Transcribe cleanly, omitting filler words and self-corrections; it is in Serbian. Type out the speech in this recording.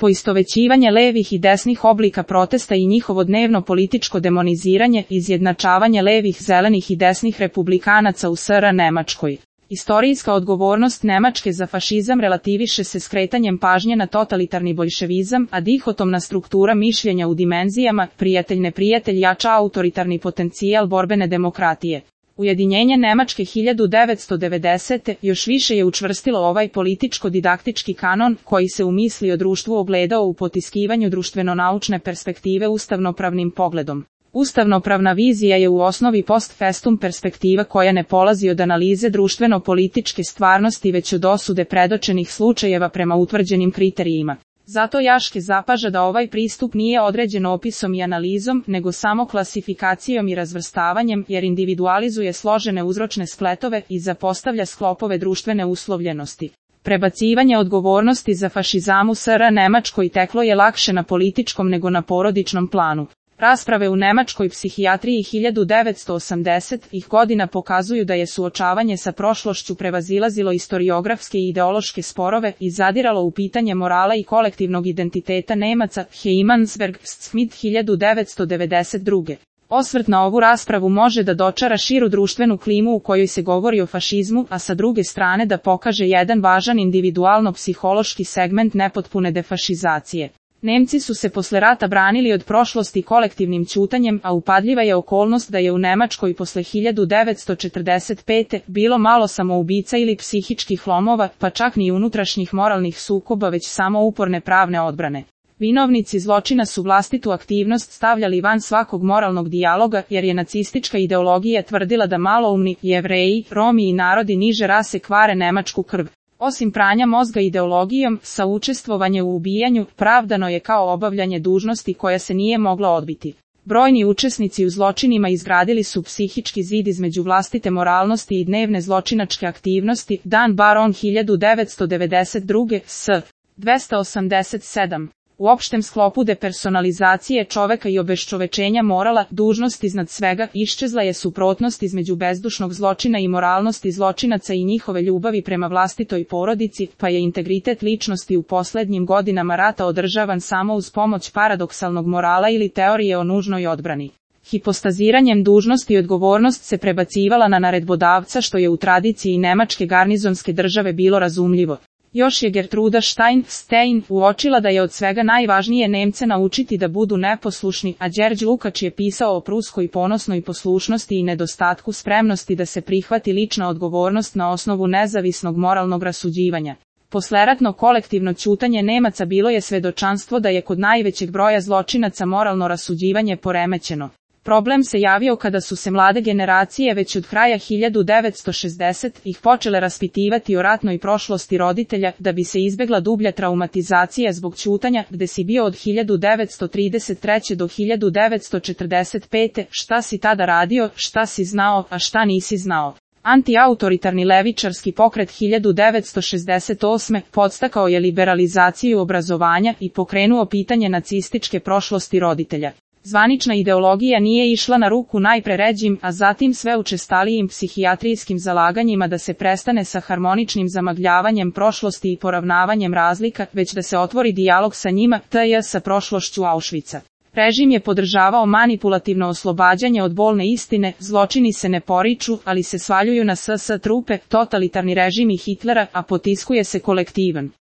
poistovećivanje levih i desnih oblika protesta i njihovo dnevno političko demoniziranje, izjednačavanje levih, zelenih i desnih republikanaca u SR Nemačkoj. Istorijska odgovornost Nemačke za fašizam relativiše se skretanjem pažnje na totalitarni boljševizam, a dihotomna struktura mišljenja u dimenzijama prijatelj-neprijatelj jača autoritarni potencijal borbene demokratije. Ujedinjenje Nemačke 1990. još više je učvrstilo ovaj političko-didaktički kanon, koji se u misli o društvu ogledao u potiskivanju društveno-naučne perspektive ustavnopravnim pogledom. Ustavnopravna vizija je u osnovi post festum perspektiva koja ne polazi od analize društveno-političke stvarnosti već od osude predočenih slučajeva prema utvrđenim kriterijima. Zato Jaške zapaža da ovaj pristup nije određen opisom i analizom, nego samo klasifikacijom i razvrstavanjem, jer individualizuje složene uzročne spletove i zapostavlja sklopove društvene uslovljenosti. Prebacivanje odgovornosti za fašizam u SR Nemačkoj teklo je lakše na političkom nego na porodičnom planu. Rasprave u nemačkoj psihijatriji 1980-ih godina pokazuju da je suočavanje sa prošlošću prevazilazilo istoriografske i ideološke sporove i zadiralo u pitanje morala i kolektivnog identiteta Nemaca. Heimansberg, Smith 1992. Osvrt na ovu raspravu može da dočara širu društvenu klimu u kojoj se govori o fašizmu, a sa druge strane da pokaže jedan važan individualno-psihološki segment nepotpune defašizacije. Nemci su se posle rata branili od prošlosti kolektivnim ćutanjem, a upadljiva je okolnost da je u Nemačkoj posle 1945. bilo malo samoubica ili psihičkih lomova, pa čak ni unutrašnjih moralnih sukoba, već samo uporne pravne odbrane. Vinovnici zločina su vlastitu aktivnost stavljali van svakog moralnog dijaloga, jer je nacistička ideologija tvrdila da maloumni Jevreji, Romi i narodi niže rase kvare nemačku krv. Osim pranja mozga ideologijom, saučestvovanje u ubijanju pravdano je kao obavljanje dužnosti koja se nije mogla odbiti. Brojni učesnici u zločinima izgradili su psihički zid između vlastite moralnosti i dnevne zločinačke aktivnosti. Dan Baron 1992. s. 287. U opštem sklopu depersonalizacije čoveka i obeščovečenja morala, dužnost iznad svega, iščezla je suprotnost između bezdušnog zločina i moralnosti zločinaca i njihove ljubavi prema vlastitoj porodici, pa je integritet ličnosti u poslednjim godinama rata održavan samo uz pomoć paradoksalnog morala ili teorije o nužnoj odbrani. Hipostaziranjem dužnosti i odgovornost se prebacivala na naredbodavca, što je u tradiciji nemačke garnizonske države bilo razumljivo. Još je Gertruda Stein uočila da je od svega najvažnije Nemce naučiti da budu neposlušni, a Đerđ Lukač je pisao o pruskoj ponosnoj poslušnosti i nedostatku spremnosti da se prihvati lična odgovornost na osnovu nezavisnog moralnog rasuđivanja. Posleratno kolektivno ćutanje Nemaca bilo je svedočanstvo da je kod najvećeg broja zločinaca moralno rasuđivanje poremećeno. Problem se javio kada su se mlade generacije već od kraja 1960-ih počele raspitivati o ratnoj prošlosti roditelja, da bi se izbegla dublja traumatizacija zbog ćutanja, gde si bio od 1933. do 1945. Šta si tada radio, šta si znao, a šta nisi znao. Antiautoritarni levičarski pokret 1968. podstakao je liberalizaciju obrazovanja i pokrenuo pitanje nacističke prošlosti roditelja. Zvanična ideologija nije išla na ruku najpre ređim, a zatim sve učestalijim psihijatrijskim zalaganjima da se prestane sa harmoničnim zamagljavanjem prošlosti i poravnavanjem razlika, već da se otvori dijalog sa njima, sa prošlošću Auschwitza. Režim je podržavao manipulativno oslobađanje od bolne istine, zločini se ne poriču, ali se svaljuju na SS trupe, totalitarni režim i Hitlera, a potiskuje se kolektivan